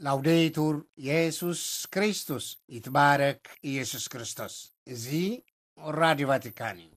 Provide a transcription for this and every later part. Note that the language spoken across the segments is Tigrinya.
ላውዴቱር የሱስ ክርስቶስ፣ ይትባረክ ኢየሱስ ክርስቶስ። እዚ ራዲዮ ቫቲካን እዩ።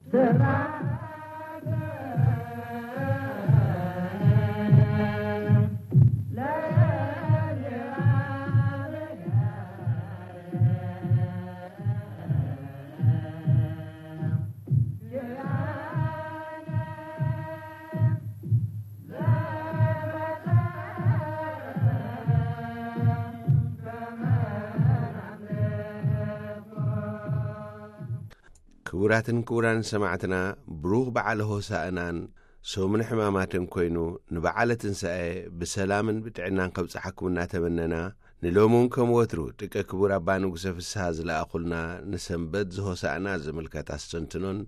ክቡራትን ክቡራን ሰማዕትና፣ ብሩኽ በዓል ሆሳእናን ሰሙነ ሕማማትን ኮይኑ፣ ንበዓለ ትንሳኤ ብሰላምን ብጥዕናን ከብጽሓኩም እናተመነና፣ ንሎሚ እውን ከም ወትሩ ጥቀ ክቡር ኣባ ንጉሰ ፍስሃ ዝለኣኹልና ንሰንበት ዝሆሳእና ዝምልከት ኣስተንትኖን፣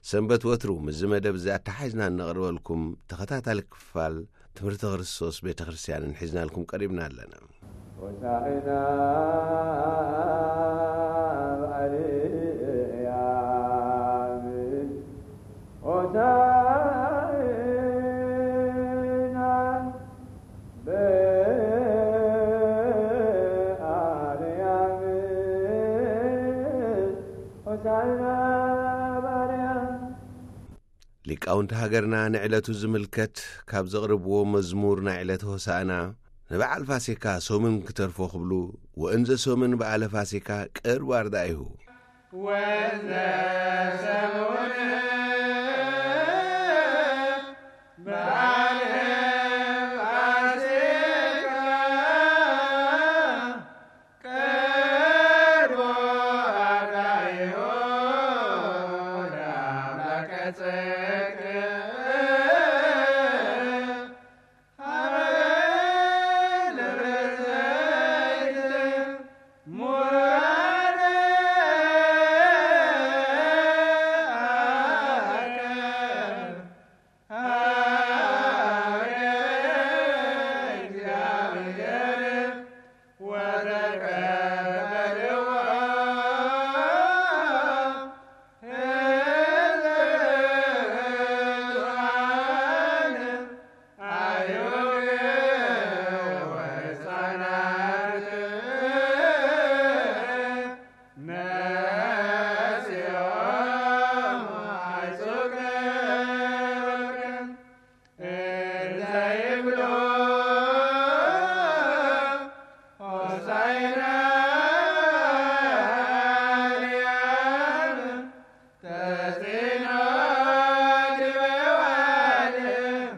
ሰንበት ወትሩ ምስዚ መደብ እዚ ኣተሓሒዝና እነቕርበልኩም ተኸታታሊ ክፋል ትምህርቲ ክርስቶስ ቤተ ክርስቲያንን ሒዝናልኩም ቀሪብና ኣለና። ሆሳዕና በአርያም፣ ሆሳዕና በአርያም፣ ሆሳዕና በአርያም። ሊቃውንቲ ሃገርና ንዕለቱ ዝምልከት ካብ ዘቕርብዎ መዝሙር ናይ ዕለተ ሆሳእና፣ ንበዓል ፋሲካ ሰሙን ክተርፎ ክብሉ፣ ወእንዘ ሰሙን በዓለ ፋሲካ ቅርብ ኣርዳኢሁ። ወእንዘ ሰሙን በዓለ ፋሲካ ቅርብ ኣርዳኢሁ ለአምላከ ጽድቅ ሀበ ደብረ ዘይት ሙራደ አከ ሀበ እግዚአብሔር ወተቀበልዎ ህዝብ ብዙኃን አይሁድ ወሕፃናት ነሲኦም አይሱክ እንዘ ይብሉ ሆሳዕና በአርያም ተስዕኖ ዲበ ወአድም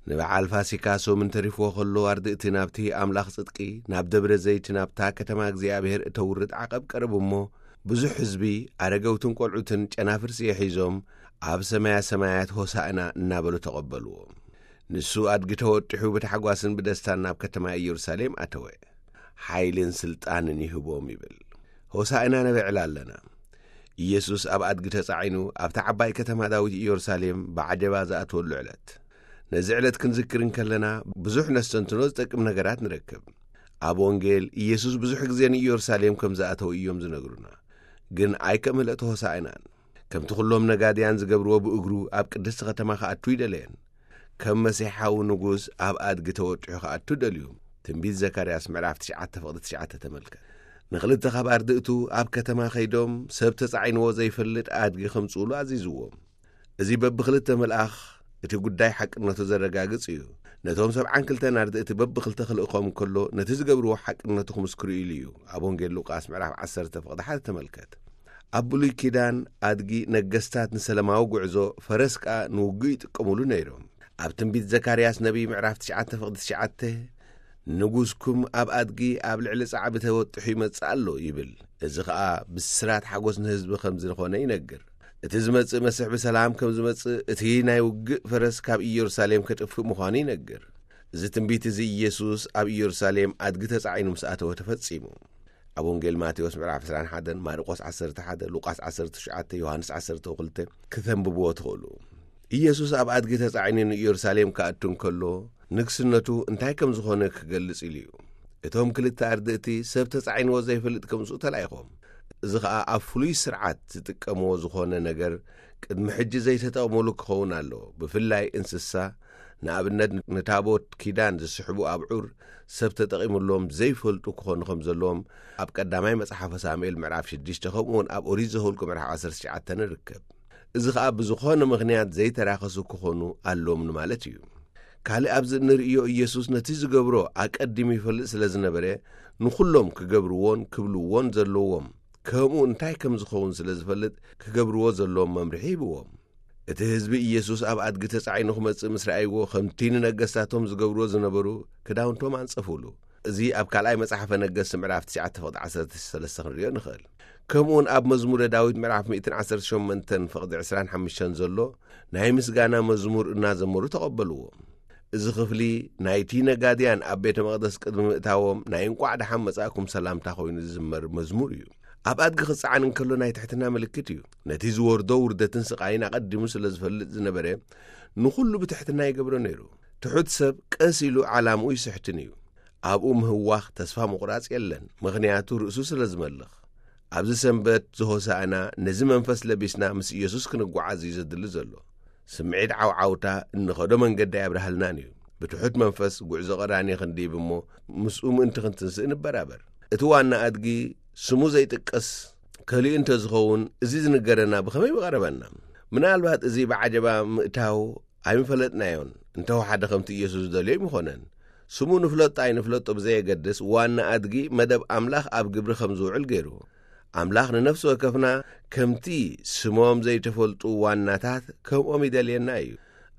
ንበዓል ፋሲካ ሰሙን ተሪፍዎ ከሎ፣ ኣርድእቲ ናብቲ ኣምላኽ ጽድቂ፣ ናብ ደብረ ዘይት፣ ናብታ ከተማ እግዚኣብሔር እተውርድ ዓቐብ ቀረቡ እሞ፣ ብዙሕ ህዝቢ፣ ኣረገውትን ቆልዑትን ጨናፍር ስየ ሒዞም፣ ኣብ ሰማያ ሰማያት ሆሳዕና እናበሉ ተቐበልዎ። ንሱ ኣድጊ ተወጢሑ ብታሕጓስን ብደስታን ናብ ከተማ ኢየሩሳሌም ኣተወ። ሓይልን ስልጣንን ይህቦም ይብል። ሆሳዕና ነበዕል ኣለና። ኢየሱስ ኣብ ኣድጊ ተጻዒኑ ኣብታ ዓባይ ከተማ ዳዊት ኢየሩሳሌም ብዓጀባ ዝኣትወሉ ዕለት። ነዚ ዕለት ክንዝክር እንከለና ብዙሕ ነስተንትኖ ዝጠቅም ነገራት ንረክብ። ኣብ ወንጌል ኢየሱስ ብዙሕ ግዜ ንኢየሩሳሌም ከም ዝኣተው እዮም ዝነግሩና። ግን ኣይከም ዕለት ሆሳዕናን። ከምቲ ኩሎም ነጋድያን ዝገብርዎ ብእግሩ ኣብ ቅድስቲ ከተማ ክኣቱ ይደለየን። ከም መሲሓዊ ንጉስ ኣብ ኣድጊ ተወጢሑ ክኣቱ ደልዩ። ትንቢት ዘካርያስ ምዕራፍ ትሽዓተ ፍቕዲ ትሽዓተ ተመልከት። ንኽልተ ካብ ኣርድእቱ ኣብ ከተማ ከይዶም ሰብ ተጻዒንዎ ዘይፈልጥ ኣድጊ ከምጽኡሉ ኣዚዝዎም። እዚ በብኽልተ መልኣኽ እቲ ጉዳይ ሓቅነቱ ዘረጋግጽ እዩ። ነቶም ሰብዓን ክልተን ኣርድእቲ በብኽልተ ክልእኾም እንከሎ፣ ነቲ ዝገብርዎ ሓቅነቱ ክምስክሩ ኢሉ እዩ። ኣብ ወንጌል ሉቃስ ምዕራፍ ዓሰርተ ፍቕዲ ሓደ ተመልከት። ኣብ ብሉይ ኪዳን ኣድጊ ነገስታት ንሰላማዊ ጉዕዞ፣ ፈረስ ከኣ ንውግእ ይጥቀሙሉ ነይሮም። ኣብ ትንቢት ዘካርያስ ነቢይ ምዕራፍ ትሽዓተ ፍቕዲ ትሽዓተ፣ "ንጉስኩም ኣብ ኣድጊ ኣብ ልዕሊ ጻዕቢ ተወጢሑ ይመጽእ ኣሎ" ይብል። እዚ ኸኣ ብስራት ሓጎስ ንህዝቢ ከም ዝኾነ ይነግር። እቲ ዝመጽእ መስሕ ብሰላም ከም ዝመጽእ፣ እቲ ናይ ውግእ ፈረስ ካብ ኢየሩሳሌም ከጥፍእ ምዃኑ ይነግር። እዚ ትንቢት እዚ ኢየሱስ ኣብ ኢየሩሳሌም ኣድጊ ተጻዒኑ ምስ ኣተወ ተፈጺሙ። ኣብ ወንጌል ማቴዎስ ምዕራፍ ዕስራን ሓደን፣ ማርቆስ ዓሰርተ ሓደ፣ ሉቃስ ዓሰርተ ትሽዓተ፣ ዮሃንስ ዓሰርተ ክልተ ክተንብብዎ ትኽእሉ። ኢየሱስ ኣብ ኣድጊ ተጻዒኑ ንኢየሩሳሌም ክኣቱ እንከሎ፣ ንግስነቱ እንታይ ከም ዝኾነ ክገልጽ ኢሉ እዩ። እቶም ክልተ ኣርድእቲ ሰብ ተጻዒንዎ ዘይፈልጥ ከምጽኡ ተላኢኾም። እዚ ኸኣ ኣብ ፍሉይ ስርዓት ዝጥቀምዎ ዝኾነ ነገር ቅድሚ ሕጂ ዘይተጠቕሙሉ ክኸውን ኣለዎ። ብፍላይ እንስሳ፣ ንኣብነት ንታቦት ኪዳን ዝስሕቡ ኣብዑር ሰብ ተጠቒሙሎም ዘይፈልጡ ክኾኑ ከም ዘለዎም ኣብ ቀዳማይ መጽሓፈ ሳሙኤል ምዕራፍ ሽዱሽተ፣ ከምኡ እውን ኣብ ኦሪት ዘኍልቁ ምዕራፍ ዓሰርተ ትሽዓተ ንርከብ። እዚ ኸኣ ብዝኾነ ምኽንያት ዘይተራኸሱ ክኾኑ ኣለዎም ንማለት እዩ። ካልእ ኣብዚ እንርእዮ፣ ኢየሱስ ነቲ ዝገብሮ ኣቀዲሙ ይፈልጥ ስለ ዝነበረ፣ ንኹሎም ክገብርዎን ክብልዎን ዘለዎም፣ ከምኡ እንታይ ከም ዝኸውን ስለ ዝፈልጥ፣ ክገብርዎ ዘለዎም መምርሒ ሂብዎም። እቲ ህዝቢ ኢየሱስ ኣብ ኣድጊ ተጻዒኑ ክመጽእ ምስ ረኣይዎ፣ ከምቲ ንነገስታቶም ዝገብርዎ ዝነበሩ፣ ክዳውንቶም ኣንጸፉሉ። እዚ ኣብ ካልኣይ መጽሓፈ ነገስት ምዕራፍ ትሽዓተ ፍቕዲ ዓሰርተ ሰለስተ ክንርእዮ ንኽእል። ከምኡውን ኣብ መዝሙረ ዳዊት ምዕራፍ ሚእትን ዓሰርተ ሸሞንተን ፍቕዲ ዕስራን ሓሙሽተን ዘሎ ናይ ምስጋና መዝሙር እናዘመሩ ተቐበልዎ። እዚ ክፍሊ ናይቲ ነጋድያን ኣብ ቤተ መቕደስ ቅድሚ ምእታዎም ናይ እንቋዕ ደሓን መጻእኩም ሰላምታ ኮይኑ ዝዝመር መዝሙር እዩ። ኣብ ኣድጊ ክጸዓን እንከሎ ናይ ትሕትና ምልክት እዩ። ነቲ ዝወርዶ ውርደትን ስቓይን ኣቐዲሙ ስለ ዝፈልጥ ዝነበረ፣ ንኹሉ ብትሕትና ይገብሮ ነይሩ። ትሑት ሰብ ቀስ ኢሉ ዓላምኡ ይስሕትን እዩ። ኣብኡ ምህዋኽ፣ ተስፋ ምቑራጽ የለን፣ ምኽንያቱ ርእሱ ስለ ዝመልኽ። ኣብዚ ሰንበት ዘሆሳእና ነዚ መንፈስ ለቢስና ምስ ኢየሱስ ክንጓዓዝ እዩ ዘድሊ ዘሎ። ስምዒት ዓውዓውታ እንኸዶ መንገዲ ኣየብርሃልናን እዩ። ብትሑት መንፈስ ጉዕዞ ቀራንዮ ክንድይብ እሞ፣ ምስኡ ምእንቲ ክንትንስእ ንበራበር። እቲ ዋና ኣድጊ ስሙ ዘይጥቀስ ከሊኡ እንተ ዝኸውን፣ እዚ ዝንገረና ብኸመይ ምቐረበና? ምናልባት እዚ ብዓጀባ ምእታው ኣይምፈለጥናዮን፣ እንተወሓደ ከምቲ ኢየሱስ ዝደልዮ ኣይምኾነን። ስሙ ንፍለጦ ኣይንፍለጦ ብዘየገድስ፣ ዋና ኣድጊ መደብ ኣምላኽ ኣብ ግብሪ ከም ዝውዕል ገይሩ። ኣምላኽ ንነፍሲ ወከፍና ከምቲ ስሞም ዘይተፈልጡ ዋናታት ከምኦም ይደልየና እዩ።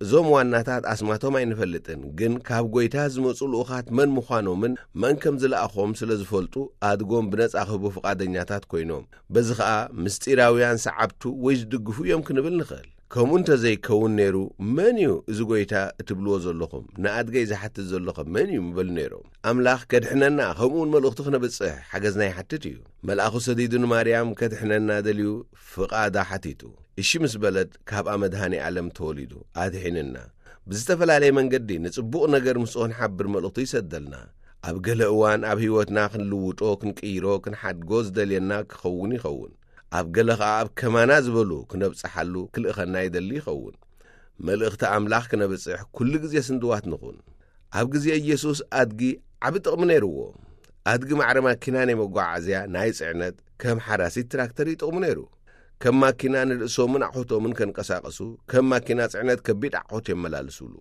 እዞም ዋናታት ኣስማቶም ኣይንፈልጥን፣ ግን ካብ ጐይታ ዝመጹ ልኡኻት መን ምዃኖምን መን ከም ዝለኣኾም ስለ ዝፈልጡ፣ ኣድጎም ብነጻ ክህቡ ፍቓደኛታት ኮይኖም። በዚ ኸኣ ምስጢራውያን ሰዓብቱ ወይ ዝድግፉ እዮም ክንብል ንኽእል። ከምኡ እንተ ዘይከውን ነይሩ፣ መን እዩ እዚ ጐይታ እትብልዎ ዘለኹም? ንኣድገይ ዝሓትት ዘለኹም መን እዩ? ምበሉ ነይሮም። ኣምላኽ ከድሕነና፣ ከምኡ እውን መልእኽቱ ክነብጽሕ ሓገዝና ይሓትት እዩ። መልኣኹ ሰዲዱ ንማርያም ከድሕነና ደልዩ ፍቓዳ ሓቲቱ። እሺ ምስ በለት፣ ካብኣ መድኃኔ ዓለም ተወሊዱ፣ ኣድሒንና። ብዝተፈላለየ መንገዲ ንጽቡቕ ነገር ምስኡ ክንሓብር መልእኽቱ ይሰደልና። ኣብ ገለ እዋን ኣብ ህይወትና ክንልውጦ፣ ክንቅይሮ፣ ክንሓድጎ ዝደልየና ክኸውን ይኸውን። ኣብ ገለ ኸኣ ኣብ ከማና ዝበሉ ክነብጽሓሉ ክልእኸና ይደሊ ይኸውን። መልእኽቲ ኣምላኽ ክነብጽሕ ኩሉ ግዜ ስንድዋት ንኹን። ኣብ ግዜ ኢየሱስ ኣድጊ ዓቢ ጥቕሚ ነይርዎ። ኣድጊ ማዕረ ማኪና ናይ መጓዓዝያ፣ ናይ ጽዕነት፣ ከም ሓራሲት ትራክተር ይጥቕሙ ነይሩ። ከም ማኪና ንርእሶምን ኣቑሑቶምን ከንቀሳቐሱ፣ ከም ማኪና ጽዕነት ከቢድ ኣቑሑት የመላልሱሉ።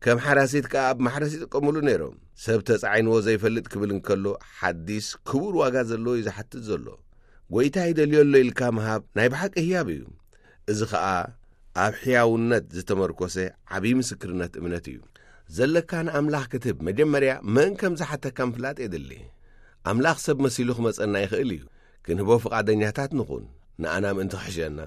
ከም ሓራሲት ከኣ ኣብ ማሕረስ ይጥቀሙሉ ነይሮም። ሰብ ተጻዒንዎ ዘይፈልጥ ክብል እንከሎ፣ ሓዲስ ክቡር ዋጋ ዘለዎ እዩ ዝሓትት ዘሎ። ጐይታ ይደልዮ ኣሎ ኢልካ ምሃብ ናይ ብሓቂ ህያብ እዩ። እዚ ኸኣ ኣብ ሕያውነት ዝተመርኮሰ ዓብዪ ምስክርነት እምነት እዩ። ዘለካ ንኣምላኽ ክትህብ መጀመርያ መን ከም ዝሓተካ ምፍላጥ የድሊ። ኣምላኽ ሰብ መሲሉ ክመጸና ይኽእል እዩ። ክንህቦ ፍቓደኛታት ንኹን፣ ንኣና ምእንቲ ክሕሸና።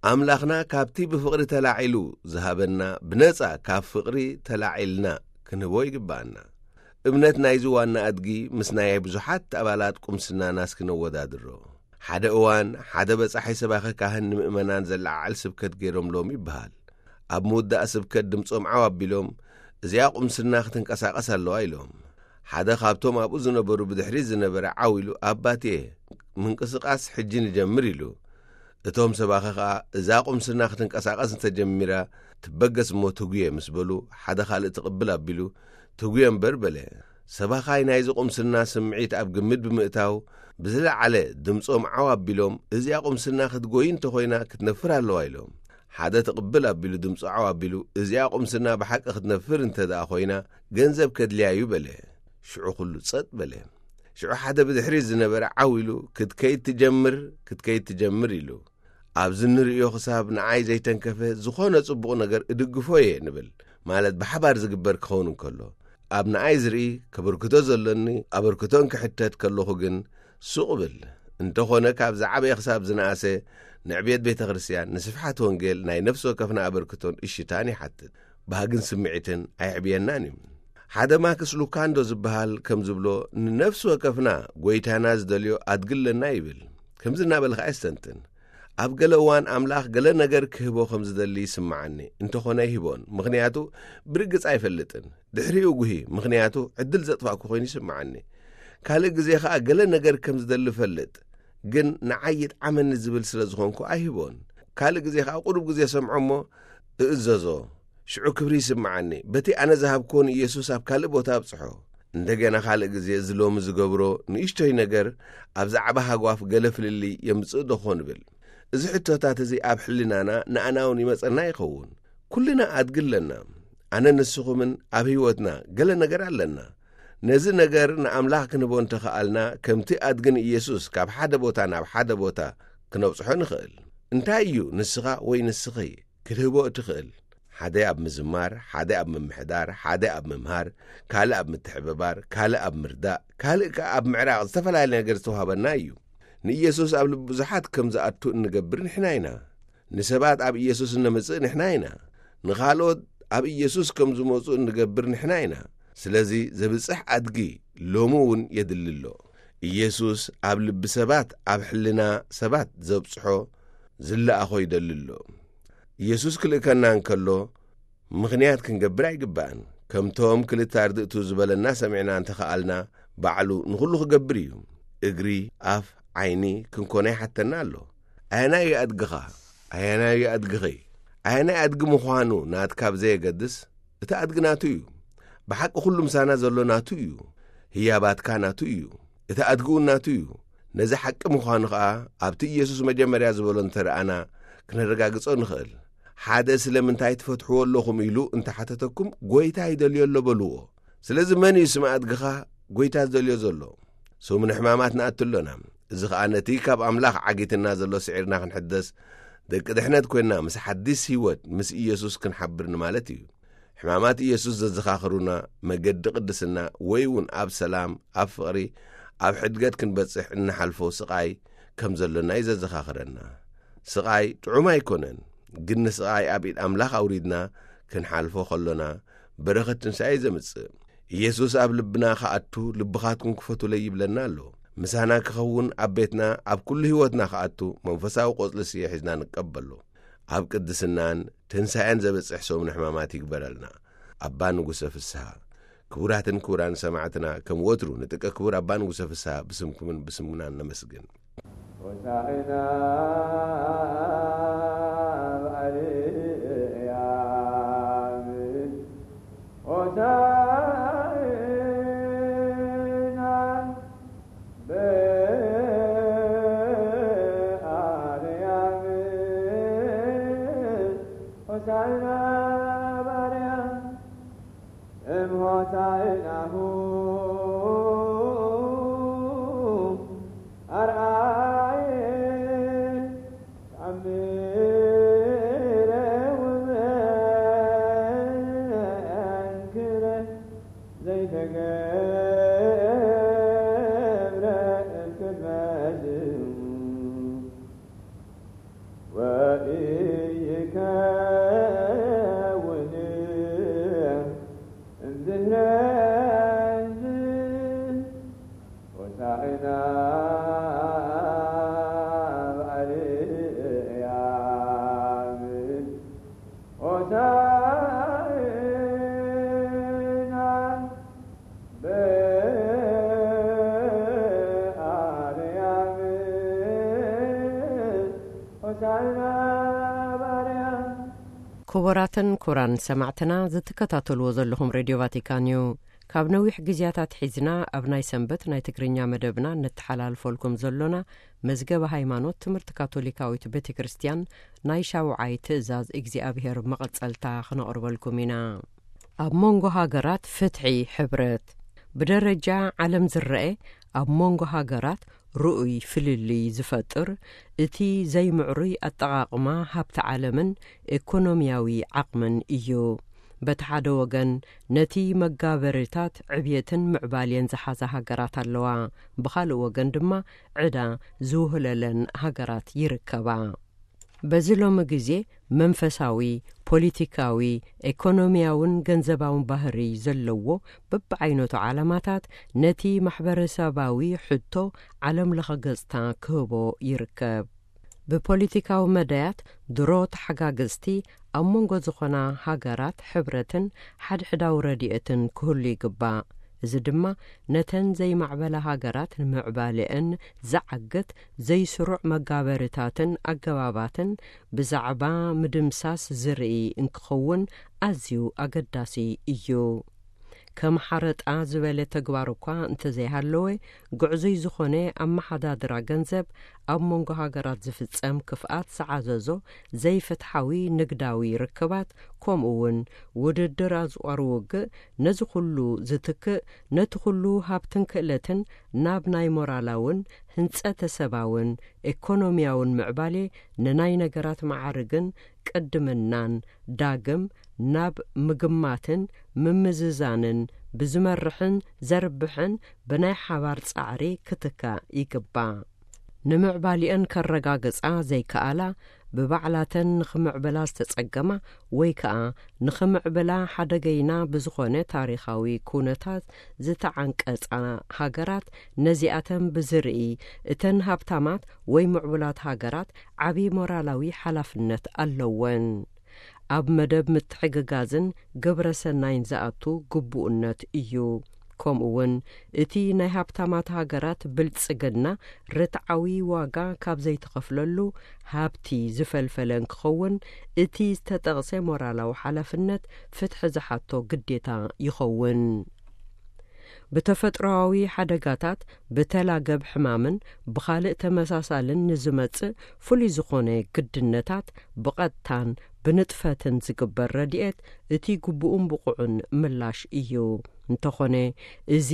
ኣምላኽና ካብቲ ብፍቕሪ ተላዒሉ ዝሃበና ብነጻ ካብ ፍቕሪ ተላዒልና ክንህቦ ይግብኣና። እምነት ናይዚ ዋና ኣድጊ ምስ ናይ ብዙሓት ኣባላት ቁምስናና እስኪ ነወዳድሮ። ሓደ እዋን ሓደ በጻሒ ሰባኺ ካህን ንምእመናን ዘለዓዕል ስብከት ገይሮምሎም ይበሃል። ኣብ ምውዳእ ስብከት ድምጾም ዓው ኣቢሎም፣ "እዚኣ ቁምስና ክትንቀሳቐስ ኣለዋ" ኢሎም። ሓደ ካብቶም ኣብኡ ዝነበሩ ብድሕሪት ዝነበረ ዓው ኢሉ፣ "ኣባቴ፣ ምንቅስቓስ ሕጂ ንጀምር" ኢሉ። እቶም ሰባኺ ኸኣ፣ "እዛ ቁምስና ክትንቀሳቐስ እንተጀሚራ ትበገስ እሞ ትጉየ" ምስ በሉ፣ ሓደ ካልእ ትቕብል ኣቢሉ፣ "ትጉየ እምበር" በለ። ሰባኻይ ናይዚ ቁምስና ስምዒት ኣብ ግምት ብምእታው፣ ብዝለዓለ ድምጾም ዓው ኣቢሎም፣ "እዚኣ ቁምስና ክትጎይ እንተኾይና ክትነፍር ኣለዋ" ኢሎም። ሓደ ትቕብል ኣቢሉ ድምጹ ዓው ኣቢሉ፣ "እዚኣ ቁምስና ብሓቂ ክትነፍር እንተ ደኣ ኾይና፣ ገንዘብ ከድልያ እዩ" በለ። ሽዑ ኩሉ ጸጥ በለ። ሽዑ ሓደ ብድሕሪት ዝነበረ ዓው ኢሉ፣ "ክትከይድ ትጀምር፣ ክትከይድ ትጀምር" ኢሉ። ኣብዚ ንርእዮ ክሳብ ንዓይ ዘይተንከፈ ዝኾነ ጽቡቕ ነገር እድግፎ እየ ንብል፣ ማለት ብሓባር ዝግበር ክኸውን እንከሎ። ኣብ ንኣይ ዝርኢ ከበርክቶ ዘሎኒ ኣበርክቶ እንክሕተት ከለኹ ግን ሱቕ እብል። እንተኾነ ካብ ዝዓበየ ክሳብ ዝነኣሰ ንዕብየት ቤተ ክርስቲያን፣ ንስፍሓት ወንጌል ናይ ነፍሲ ወከፍና ኣበርክቶን እሽታን ይሓትት። ባህግን ስምዒትን ኣየዕብየናን እዩ። ሓደ ማክስ ሉካንዶ ዝበሃል ከም ዝብሎ፣ ንነፍሲ ወከፍና ጎይታና ዝደልዮ ኣድግለና ይብል። ከምዚ እናበለ ኸዓ የስተንትን። ኣብ ገለ እዋን ኣምላኽ ገለ ነገር ክህቦ ከም ዝደሊ ይስምዓኒ። እንተኾነ ኣይህቦን፣ ምኽንያቱ ብርግጽ ኣይፈልጥን። ድሕሪኡ ጉሂ፣ ምኽንያቱ ዕድል ዘጥፋእኩ ኮይኑ ይስምዓኒ። ካልእ ግዜ ኸኣ ገለ ነገር ከም ዝደሊ እፈልጥ፣ ግን ንዓይ ይጥዓመኒ ዝብል ስለ ዝኾንኩ ኣይህቦን። ካልእ ግዜ ኸኣ ቁሩብ ግዜ ሰምዖ እሞ እእዘዞ። ሽዑ ክብሪ ይስምዓኒ። በቲ ኣነ ዝሃብክዎ ንኢየሱስ ኣብ ካልእ ቦታ ኣብጽሖ። እንደገና ካልእ ግዜ እዚ ሎሚ ዝገብሮ ንእሽቶይ ነገር ኣብ ዛዕባ ሃጓፍ ገለ ፍልልይ የምጽእ ዶ ኾን እብል። እዚ ሕቶታት እዚ ኣብ ሕልናና ንኣና እውን ይመጸና ይኸውን። ኩልና ኣድጊ ኣለና። ኣነ ንስኹምን ኣብ ህይወትና ገለ ነገር ኣለና። ነዚ ነገር ንኣምላኽ ክንህቦ እንተኸኣልና፣ ከምቲ ኣድጊ ንኢየሱስ ካብ ሓደ ቦታ ናብ ሓደ ቦታ ክነብጽሖ ንኽእል። እንታይ እዩ ንስኻ ወይ ንስኺ ክትህቦ እትኽእል? ሓደ ኣብ ምዝማር፣ ሓደ ኣብ ምምሕዳር፣ ሓደ ኣብ ምምሃር፣ ካልእ ኣብ ምትሕብባር፣ ካልእ ኣብ ምርዳእ፣ ካልእ ከኣ ኣብ ምዕራቕ ዝተፈላለየ ነገር ዝተዋህበና እዩ። ንኢየሱስ ኣብ ልቢ ብዙሓት ከም ዝኣቱ እንገብር ንሕና ኢና። ንሰባት ኣብ ኢየሱስ እነምጽእ ንሕና ኢና። ንኻልኦት ኣብ ኢየሱስ ከም ዝመጹ እንገብር ንሕና ኢና። ስለዚ ዘብጽሕ ኣድጊ ሎሚ እውን የድሊ ኣሎ። ኢየሱስ ኣብ ልቢ ሰባት፣ ኣብ ሕልና ሰባት ዘብጽሖ ዝለኣኾ ይደሊ ኣሎ። ኢየሱስ ክልእከና እንከሎ ምኽንያት ክንገብር ኣይግባእን። ከምቶም ክልተ ኣርድእቱ ዝበለና ሰሚዕና እንተኸኣልና፣ ባዕሉ ንኹሉ ክገብር እዩ። እግሪ፣ ኣፍ፣ ዓይኒ ክንኮነ ይሓተና ኣሎ። ኣየናይ እዩ ኣድግኻ? ኣየናይ እዩ ኣድግኺ? ኣየናይ ኣድጊ ምዃኑ ናትካ ብዘየገድስ፣ እቲ ኣድጊ ናቱ እዩ። ብሓቂ ኩሉ ምሳና ዘሎ ናቱ እዩ። ህያባትካ ናቱ እዩ። እቲ ኣድጊ እውን ናቱ እዩ። ነዚ ሓቂ ምዃኑ ኸኣ ኣብቲ ኢየሱስ መጀመርያ ዝበሎ እንተረኣና ክነረጋግጾ ንኽእል። ሓደ ስለምንታይ ትፈትሕዎ ኣለኹም ኢሉ እንተሓተተኩም፣ ጎይታ ይደልዮ ኣሎ በልዎ። ስለዚ መን እዩ ስም ኣድግኻ ጎይታ ዝደልዮ ዘሎ? ሰሙነ ሕማማት ንኣቱ ኣሎና። እዚ ኸኣ ነቲ ካብ ኣምላኽ ዓጊትና ዘሎ ስዒርና ክንሕደስ፣ ደቂ ድሕነት ኮይንና ምስ ሓዲስ ህይወት ምስ ኢየሱስ ክንሓብር ንማለት እዩ። ሕማማት ኢየሱስ ዘዘኻኽሩና፣ መገዲ ቅድስና ወይ እውን ኣብ ሰላም፣ ኣብ ፍቕሪ፣ ኣብ ሕድገት ክንበጽሕ እንሓልፎ ስቓይ ከም ዘሎና እዩ ዘዘኻኽረና። ስቓይ ጥዑም ኣይኮነን፣ ግን ንስቓይ ኣብ ኢድ ኣምላኽ ኣውሪድና ክንሓልፎ ከሎና በረኸት ትንሳኤ እዩ ዘምጽእ። ኢየሱስ ኣብ ልብና ክኣቱ ልብኻትኩም ክፈቱለይ ይብለና ኣሎ። ምሳና ክኸውን ኣብ ቤትና ኣብ ኩሉ ህይወትና ክኣቱ መንፈሳዊ ቆጽሊ ስየ ሒዝና ንቀበሎ። ኣብ ቅድስናን ትንሳኤን ዘብጽሕ ሰሙነ ሕማማት ይግበረልና። ኣባ ንጉሰ ፍስሃ። ክቡራትን ክቡራን ሰማዕትና፣ ከም ወትሩ ንጥቀ ክቡር ኣባ ንጉሰ ፍስሃ ብስምኩምን ብስምናን ነመስግን። ሆሳዕና በኣርያም፣ ሆሳዕና በኣርያም፣ ሆሳዕና በኣርያም፣ እም ሆሳዕናሁ ኣርኣየ ተኣምረ ወመንክረ ዘይተገብረ እምቅድመ ስሙ ወኢይከውን እምድህረ ሆሳዕና በኣርያም፣ ሆሳዕና በኣርያም፣ ሆሳዕና በኣርያም። ክቡራትን ክቡራን ሰማዕትና፣ ዝትከታተልዎ ዘለኹም ሬድዮ ቫቲካን እዩ። ካብ ነዊሕ ግዜያት ኣትሒዝና ኣብ ናይ ሰንበት ናይ ትግርኛ መደብና ነተሓላልፈልኩም ዘሎና መዝገበ ሃይማኖት ትምህርቲ ካቶሊካዊት ቤተ ክርስቲያን ናይ ሻውዓይ ትእዛዝ እግዚኣብሔር መቐጸልታ ክነቕርበልኩም ኢና። ኣብ መንጎ ሃገራት ፍትሒ ሕብረት። ብደረጃ ዓለም ዝረአ ኣብ መንጎ ሃገራት ርኡይ ፍልልይ ዝፈጥር እቲ ዘይምዕሩይ ኣጠቓቕማ ሃብቲ ዓለምን ኢኮኖሚያዊ ዓቕምን እዩ። በቲ ሓደ ወገን ነቲ መጋበሪታት ዕብየትን ምዕባሌን ዝሓዛ ሃገራት ኣለዋ። ብኻልእ ወገን ድማ ዕዳ ዝውህለለን ሃገራት ይርከባ። በዚ ሎሚ ግዜ መንፈሳዊ፣ ፖለቲካዊ፣ ኤኮኖሚያውን ገንዘባውን ባህሪ ዘለዎ በብዓይነቱ ዓላማታት ነቲ ማሕበረሰባዊ ሕቶ ዓለም ለኸ ገጽታ ክህቦ ይርከብ። ብፖለቲካዊ መዳያት ድሮ ተሓጋገዝቲ ኣብ መንጎ ዝኾና ሃገራት ሕብረትን ሓድሕዳዊ ረድኤትን ክህሉ ይግባእ። እዚ ድማ ነተን ዘይማዕበላ ሃገራት ንምዕባሌአን ዝዓግት ዘይስሩዕ መጋበርታትን ኣገባባትን ብዛዕባ ምድምሳስ ዝርኢ እንክኸውን ኣዝዩ ኣገዳሲ እዩ። ከም ሓረጣ ዝበለ ተግባር እኳ እንተዘይሃለወ፣ ግዕዙይ ዝኾነ ኣመሓዳድራ ገንዘብ ኣብ መንጎ ሃገራት ዝፍጸም ክፍኣት ዝዓዘዞ ዘይፍትሓዊ ንግዳዊ ርክባት፣ ከምኡ እውን ውድድር ኣጽዋር ውግእ ነዚ ኩሉ ዝትክእ፣ ነቲ ኩሉ ሃብትን ክእለትን ናብ ናይ ሞራላውን ህንጸተ ሰባውን ኤኮኖሚያውን ምዕባሌ፣ ንናይ ነገራት መዓርግን ቅድምናን ዳግም ናብ ምግማትን ምምዝዛንን ብዝመርሕን ዘርብሕን ብናይ ሓባር ጻዕሪ ክትካእ ይግባእ። ንምዕባሊአን ከረጋግጻ ዘይከኣላ፣ ብባዕላተን ንኽምዕብላ ዝተጸገማ፣ ወይ ከኣ ንኽምዕብላ ሓደገይና ብዝኾነ ታሪኻዊ ኩነታት ዝተዓንቀጻ ሃገራት፣ ነዚኣተን ብዝርኢ፣ እተን ሃብታማት ወይ ምዕቡላት ሃገራት ዓቢ ሞራላዊ ሓላፍነት ኣለወን። ኣብ መደብ ምትሕግጋዝን ግብረ ሰናይን ዝኣቱ ግቡእነት እዩ። ከምኡ እውን እቲ ናይ ሃብታማት ሃገራት ብልጽግና ርትዓዊ ዋጋ ካብ ዘይተኸፍለሉ ሃብቲ ዝፈልፈለ እንክኸውን፣ እቲ ዝተጠቕሰ ሞራላዊ ሓላፍነት ፍትሒ ዝሓቶ ግዴታ ይኸውን። ብተፈጥሮኣዊ ሓደጋታት፣ ብተላገብ ሕማምን ብኻልእ ተመሳሳልን ንዝመጽእ ፍሉይ ዝኾነ ግድነታት ብቐጥታን ብንጥፈትን ዝግበር ረድኤት እቲ ግቡእን ብቑዕን ምላሽ እዩ። እንተኾነ፣ እዚ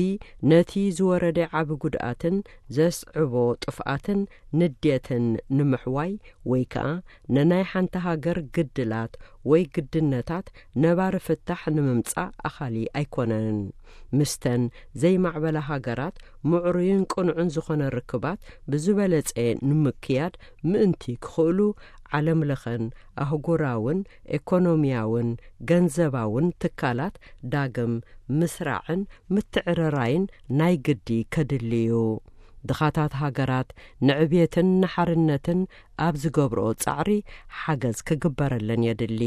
ነቲ ዝወረደ ዓቢ ጉድኣትን ዘስዕቦ ጥፍኣትን ንዴትን ንምሕዋይ፣ ወይ ከኣ ንናይ ሓንቲ ሃገር ግድላት ወይ ግድነታት ነባሪ ፍታሕ ንምምጻእ ኣኻሊ ኣይኮነን። ምስተን ዘይማዕበላ ሃገራት ምዕሩይን ቅኑዕን ዝኾነ ርክባት ብዝበለጸ ንምክያድ ምእንቲ ክኽእሉ፣ ዓለም ለኸን ኣህጉራውን ኤኮኖሚያውን ገንዘባውን ትካላት ዳግም ምስራዕን ምትዕርራይን ናይ ግዲ ከድሊ እዩ። ድኻታት ሃገራት ንዕብየትን ንሓርነትን ኣብ ዝገብርኦ ጻዕሪ ሓገዝ ክግበረለን የድሊ።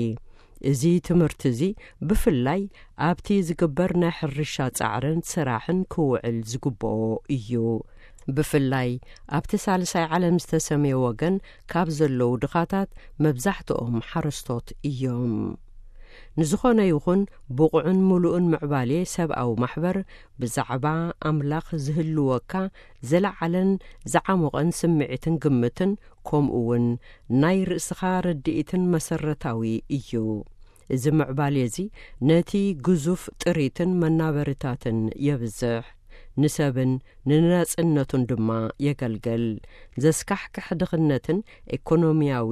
እዚ ትምህርቲ እዚ ብፍላይ ኣብቲ ዝግበር ናይ ሕርሻ ጻዕርን ስራሕን ክውዕል ዝግብኦ እዩ። ብፍላይ ኣብቲ ሳልሳይ ዓለም ዝተሰምየ ወገን ካብ ዘለዉ ድኻታት መብዛሕትኦም ሓረስቶት እዮም። ንዝኾነ ይኹን ብቑዕን ምሉእን ምዕባሌ ሰብኣዊ ማሕበር ብዛዕባ ኣምላኽ ዝህልወካ ዘለዓለን ዝዓሞቐን ስምዒትን ግምትን፣ ከምኡ እውን ናይ ርእስኻ ርድኢትን መሰረታዊ እዩ። እዚ ምዕባሌ እዚ ነቲ ግዙፍ ጥሪትን መናበሪታትን የብዝሕ፣ ንሰብን ንናጽነቱን ድማ የገልግል። ዘስካሕክሕ ድኽነትን ኤኮኖሚያዊ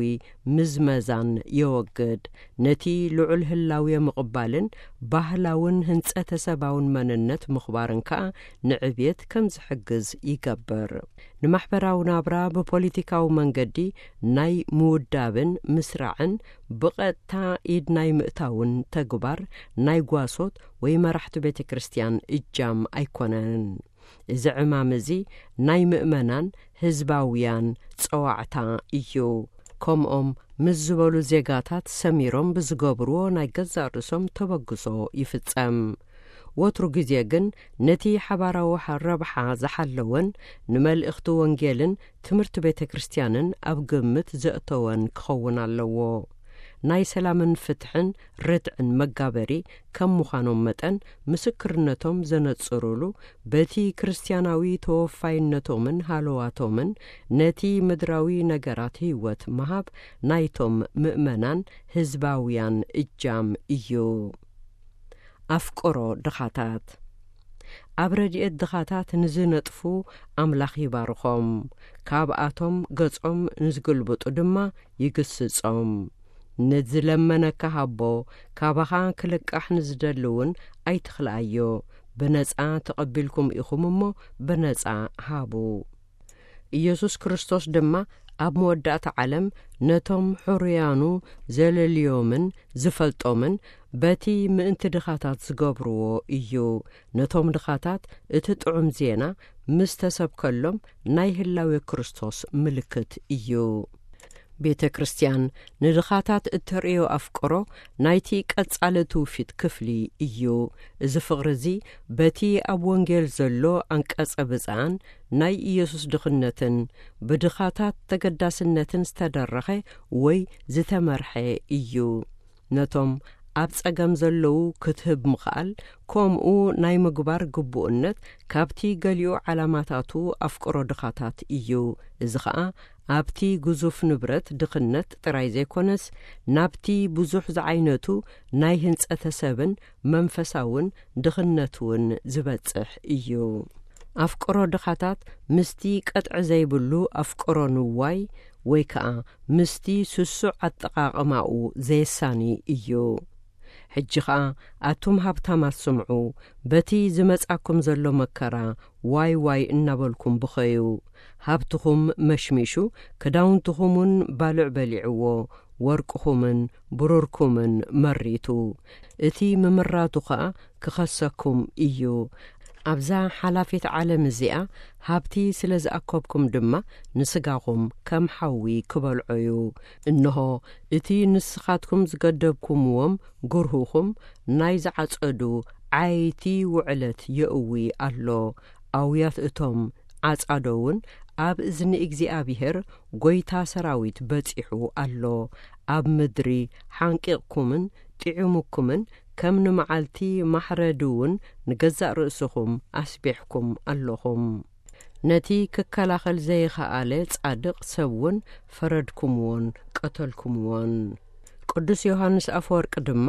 ምዝመዛን የወግድ። ነቲ ልዑል ህላዌ ምቕባልን ባህላውን ህንጸተ ሰባውን መንነት ምኽባርን ከኣ ንዕብየት ከም ዝሕግዝ ይገብር። ንማሕበራዊ ናብራ ብፖለቲካዊ መንገዲ ናይ ምውዳብን ምስራዕን ብቐጥታ ኢድ ናይ ምእታውን ተግባር ናይ ጓሶት ወይ መራሕቲ ቤተ ክርስቲያን እጃም ኣይኮነን። እዚ ዕማም እዚ ናይ ምእመናን ህዝባውያን ጸዋዕታ እዩ። ከምኦም ምስ ዝበሉ ዜጋታት ሰሚሮም ብዝገብርዎ ናይ ገዛእ ርእሶም ተበግሶ ይፍጸም። ወትሩ ግዜ ግን ነቲ ሓባራዊ ሓ-፣ ረብሓ ዝሓለወን ንመልእኽቲ ወንጌልን ትምህርቲ ቤተ ክርስቲያንን ኣብ ግምት ዘእተወን ክኸውን ኣለዎ። ናይ ሰላምን ፍትሕን ርትዕን መጋበሪ ከም ምዃኖም መጠን፣ ምስክርነቶም ዘነጽሩሉ፣ በቲ ክርስትያናዊ ተወፋይነቶምን ሃለዋቶምን ነቲ ምድራዊ ነገራት ህይወት ምሃብ ናይቶም ምእመናን ህዝባውያን እጃም እዩ። ኣፍቅሮ ድኻታት። ኣብ ረድኤት ድኻታት ንዝነጥፉ ኣምላኽ ይባርኾም፣ ካብኣቶም ገጾም ንዝግልብጡ ድማ ይግስጾም። ንዝለመነካ ሃቦ፣ ካባኻ ክልቃሕ ንዝደሊ እውን ኣይትኽልኣዮ። ብነጻ ተቐቢልኩም ኢኹም እሞ፣ ብነጻ ሃቡ። ኢየሱስ ክርስቶስ ድማ ኣብ መወዳእታ ዓለም ነቶም ሕሩያኑ ዘለልዮምን ዝፈልጦምን በቲ ምእንቲ ድኻታት ዝገብርዎ እዩ። ነቶም ድኻታት እቲ ጥዑም ዜና ምስ ተሰብከሎም ናይ ህላዌ ክርስቶስ ምልክት እዩ። ቤተ ክርስቲያን ንድኻታት እተርእዮ ኣፍቅሮ ናይቲ ቀጻሊ ትውፊት ክፍሊ እዩ። እዚ ፍቕሪ እዚ በቲ ኣብ ወንጌል ዘሎ ኣንቀጸ ብፅዓን ናይ ኢየሱስ ድኽነትን ብድኻታት ተገዳስነትን ዝተደረኸ ወይ ዝተመርሐ እዩ። ነቶም ኣብ ጸገም ዘለዉ ክትህብ ምኽኣል፣ ከምኡ ናይ ምግባር ግቡእነት ካብቲ ገሊኡ ዓላማታቱ ኣፍቅሮ ድኻታት እዩ። እዚ ኸኣ ኣብቲ ግዙፍ ንብረት ድኽነት ጥራይ ዘይኮነስ፣ ናብቲ ብዙሕ ዝዓይነቱ ናይ ህንጸተ ሰብን መንፈሳውን ድኽነት እውን ዝበጽሕ እዩ። ኣፍቅሮ ድኻታት ምስቲ ቀጥዒ ዘይብሉ ኣፍቅሮ ንዋይ ወይ ከኣ ምስቲ ስሱዕ ኣጠቓቕማኡ ዘየሳኒ እዩ። ሕጂ ኸኣ ኣቱም ሃብታማት ስምዑ፣ በቲ ዝመጻኩም ዘሎ መከራ ዋይ ዋይ እናበልኩም ብኸዩ። ሃብትኹም መሽሚሹ፣ ክዳውንትኹም እውን ባልዕ በሊዕዎ፣ ወርቅኹምን ብሩርኩምን መሪቱ። እቲ ምምራቱ ኸኣ ክኸሰኩም እዩ። ኣብዛ ሓላፊት ዓለም እዚኣ ሃብቲ ስለ ዝኣከብኩም ድማ ንስጋኹም ከም ሓዊ ክበልዖ እዩ። እንሆ እቲ ንስኻትኩም ዝገደብኩምዎም ግርሁኹም ናይ ዝዓጸዱ ዓይቲ ውዕለት የእዊ ኣሎ። ኣውያት እቶም ዓጻዶ እውን ኣብ እዝኒ እግዚኣብሔር ጐይታ ሰራዊት በጺሑ ኣሎ። ኣብ ምድሪ ሓንቂቕኩምን ጥዒሙኩምን ከም ንመዓልቲ ማሕረዲ እውን ንገዛእ ርእስኹም ኣስቢሕኩም ኣለኹም። ነቲ ክከላኸል ዘይኸኣለ ጻድቕ ሰብ እውን ፈረድኩምዎን ቀተልኩምዎን። ቅዱስ ዮሃንስ ኣፈወርቂ ድማ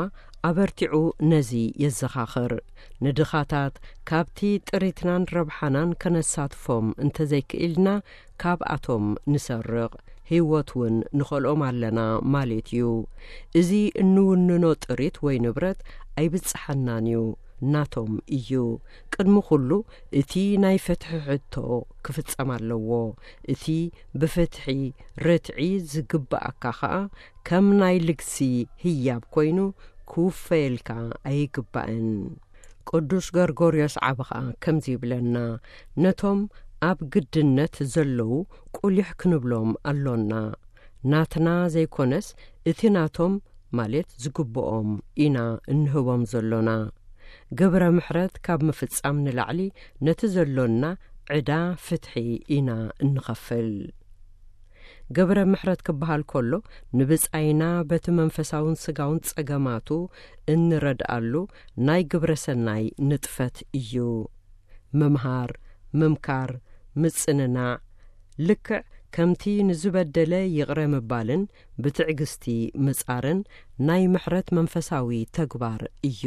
ኣበርቲዑ ነዚ የዘኻኽር። ንድኻታት ካብቲ ጥሪትናን ረብሓናን ከነሳትፎም እንተዘይክኢልና፣ ካብኣቶም ንሰርቕ፣ ህይወት እውን ንኸልኦም ኣለና ማለት እዩ። እዚ እንውንኖ ጥሪት ወይ ንብረት ኣይብጽሓናን እዩ፣ ናቶም እዩ። ቅድሚ ኩሉ እቲ ናይ ፍትሒ ሕቶ ክፍጸም ኣለዎ። እቲ ብፍትሒ ርትዒ ዝግብኣካ ኸኣ ከም ናይ ልግሲ ህያብ ኮይኑ ክውፈየልካ ኣይግባእን። ቅዱስ ገርጎርዮስ ዓቢ ኸኣ ከምዚ ይብለና፣ ነቶም ኣብ ግድነት ዘለዉ ቁሊሕ ክንብሎም ኣሎና። ናትና ዘይኮነስ እቲ ናቶም፣ ማለት ዝግብኦም፣ ኢና እንህቦም ዘሎና። ግብረ ምሕረት ካብ ምፍጻም ንላዕሊ ነቲ ዘሎና ዕዳ ፍትሒ ኢና እንኸፍል። ግብረ ምሕረት ክበሃል ከሎ፣ ንብጻይና በቲ መንፈሳውን ስጋውን ጸገማቱ እንረድኣሉ ናይ ግብረ ሰናይ ንጥፈት እዩ። ምምሃር፣ ምምካር፣ ምጽንናዕ፣ ልክዕ ከምቲ ንዝበደለ ይቕረ ምባልን ብትዕግስቲ ምጻርን ናይ ምሕረት መንፈሳዊ ተግባር እዩ።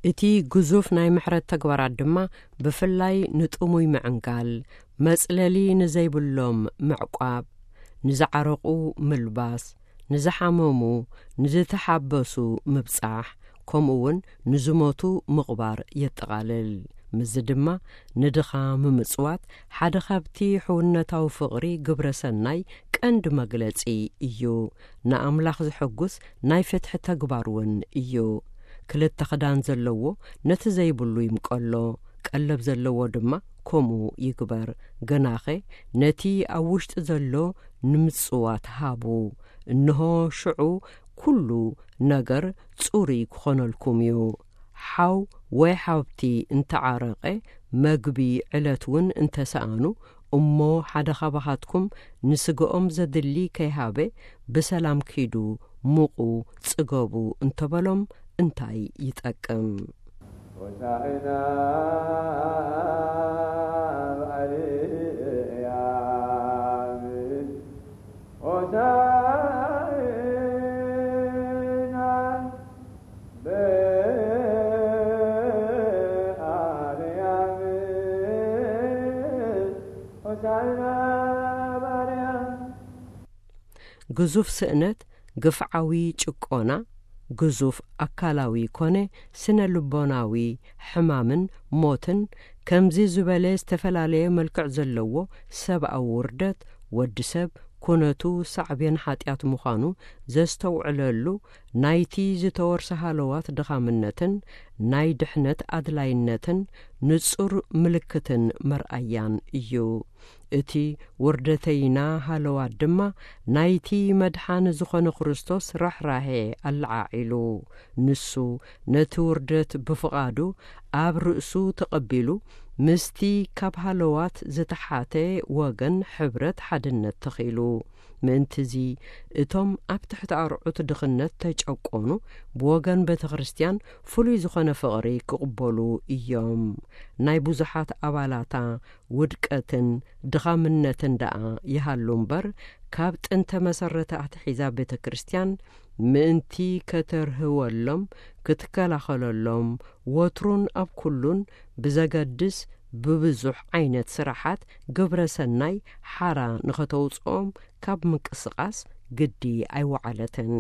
እቲ ግዙፍ ናይ ምሕረት ተግባራት ድማ ብፍላይ ንጥሙይ ምዕንጋል፣ መጽለሊ ንዘይብሎም ምዕቋብ፣ ንዝዓረቑ ምልባስ፣ ንዝሓመሙ፣ ንዝተሓበሱ ምብጻሕ፣ ከምኡ እውን ንዝሞቱ ምቕባር የጠቓልል። ምስዚ ድማ ንድኻ ምምጽዋት ሓደ ካብቲ ሕውነታዊ ፍቕሪ ግብረ ሰናይ ቀንዲ መግለጺ እዩ። ንኣምላኽ ዘሐጉስ ናይ ፍትሒ ተግባር እውን እዩ። ክልተ ክዳን ዘለዎ ነቲ ዘይብሉ ይምቀሎ፣ ቀለብ ዘለዎ ድማ ከምኡ ይግበር። ግናኸ ነቲ ኣብ ውሽጢ ዘሎ ንምጽዋት ሃቡ። እንሆ ሽዑ ኩሉ ነገር ጽሩይ ክኾነልኩም እዩ። ሓው ወይ ሓብቲ እንተዓረቐ፣ መግቢ ዕለት እውን እንተሰኣኑ፣ እሞ ሓደ ካባኻትኩም ንስጋኦም ዘድሊ ከይሃበ፣ ብሰላም ኪዱ፣ ሙቑ፣ ጽገቡ እንተበሎም እንታይ ይጠቅም? ሆሳዕና በኣርያም፣ ሆሳዕና በኣርያም፣ ሆሳዕና በኣርያም። ግዙፍ ስእነት፣ ግፍዓዊ ጭቆና፣ ግዙፍ ኣካላዊ ኮነ ስነ ልቦናዊ ሕማምን ሞትን፣ ከምዚ ዝበለ ዝተፈላለየ መልክዕ ዘለዎ ሰብኣዊ ውርደት፣ ወዲ ሰብ ኩነቱ ሳዕቤን ሓጢኣት ምዃኑ ዘስተውዕለሉ፣ ናይቲ ዝተወርሰ ሃለዋት ድኻምነትን ናይ ድሕነት ኣድላይነትን ንጹር ምልክትን መርኣያን እዩ። እቲ ውርደተይና ሃለዋት ድማ ናይቲ መድሓኒ ዝኾነ ክርስቶስ ርሕራሄ ኣለዓዒሉ። ንሱ ነቲ ውርደት ብፍቓዱ ኣብ ርእሱ ተቐቢሉ፣ ምስቲ ካብ ሃለዋት ዝተሓተ ወገን ሕብረት ሓድነት ተኺሉ። ምእንትዚ እቶም ኣብ ትሕቲ ኣርዑት ድኽነት ተጨቆኑ ብወገን ቤተ ክርስቲያን ፍሉይ ዝኾነ ፍቕሪ ክቕበሉ እዮም። ናይ ብዙሓት ኣባላታ ውድቀትን ድኻምነትን ደኣ ይሃሉ እምበር፣ ካብ ጥንተ መሰረተ ኣትሒዛ ቤተ ክርስቲያን ምእንቲ ከተርህወሎም፣ ክትከላኸለሎም፣ ወትሩን ኣብ ኩሉን ብዘገድስ ብብዙሕ ዓይነት ስራሓት ግብረ ሰናይ ሓራ ንኸተውፅኦም ካብ ምንቅስቓስ ግዲ ኣይወዓለትን።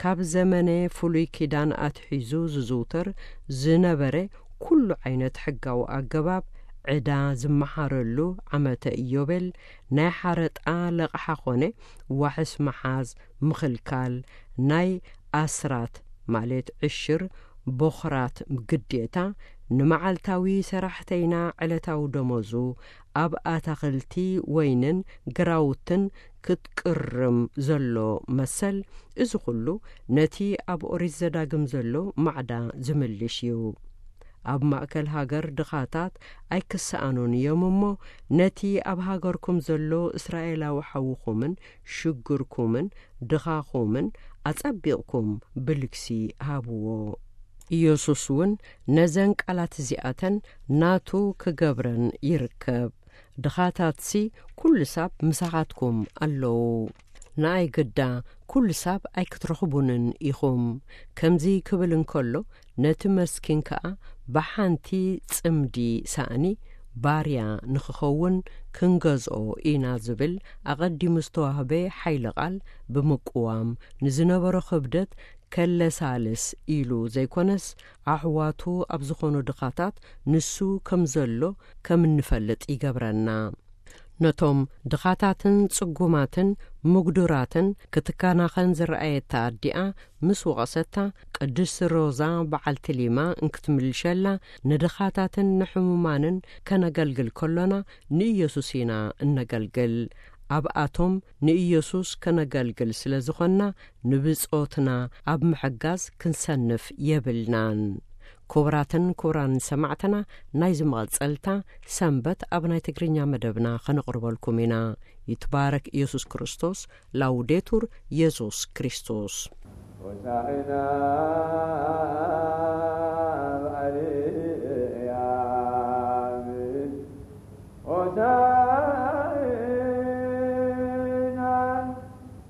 ካብ ዘመነ ፍሉይ ኪዳን ኣትሒዙ ዝዝውተር ዝነበረ ኩሉ ዓይነት ሕጋዊ ኣገባብ፣ ዕዳ ዝመሓረሉ ዓመተ ኢዮቤል፣ ናይ ሓረጣ ለቕሓ ኾነ ዋሕስ ምሓዝ ምኽልካል፣ ናይ ኣስራት ማለት ዕሽር፣ ቦኽራት ግዴታ፣ ንመዓልታዊ ሰራሕተይና ዕለታዊ ደሞዙ፣ ኣብ ኣታኽልቲ ወይንን ግራውትን ክትቅርም ዘሎ መሰል፣ እዚ ኩሉ ነቲ ኣብ ኦሪት ዘዳግም ዘሎ ማዕዳ ዝምልሽ እዩ። ኣብ ማእከል ሃገር ድኻታት ኣይክሰኣኑን እዮም እሞ፣ ነቲ ኣብ ሃገርኩም ዘሎ እስራኤላዊ ሓውኹምን ሽግርኩምን ድኻኹምን ኣጸቢቕኩም ብልግሲ ሃብዎ። ኢየሱስ እውን ነዘን ቃላት እዚኣተን ናቱ ክገብረን ይርከብ። ድኻታትሲ ኩሉ ሳብ ምሳኻትኩም ኣለዉ። ንኣይ ግዳ ኩሉ ሳብ ኣይክትረኽቡንን ኢኹም። ከምዚ ክብል እንከሎ፣ ነቲ መስኪን ከኣ ብሓንቲ ጽምዲ ሳእኒ ባርያ ንኽኸውን ክንገዝኦ ኢና ዝብል ኣቐዲሙ ዝተዋህበ ሓይሊ ቃል ብምቅዋም፣ ንዝነበሮ ክብደት ከለሳልስ ኢሉ ዘይኮነስ፣ ኣሕዋቱ ኣብ ዝኾኑ ድኻታት ንሱ ከም ዘሎ ከም እንፈልጥ ይገብረና። ነቶም ድኻታትን ጽጉማትን ምጉዱራትን ክትከናኸን ዝረኣየታ ኣዲኣ ምስ ወቐሰታ፣ ቅድስቲ ሮዛ በዓልቲ ሊማ እንክትምልሸላ፣ ንድኻታትን ንሕሙማንን ከነገልግል ከሎና ንኢየሱስ ኢና እነገልግል። ኣብኣቶም ንኢየሱስ ከነገልግል ስለ ዝኾንና፣ ንብጾትና ኣብ ምሕጋዝ ክንሰንፍ የብልናን። ክቡራትን ክቡራን ሰማዕትና፣ ናይዚ መቐጸልታ ሰንበት ኣብ ናይ ትግርኛ መደብና ከነቕርበልኩም ኢና። ይትባረክ ኢየሱስ ክርስቶስ። ላውዴቱር ኢየሱስ ክርስቶስ። ሆሳዕና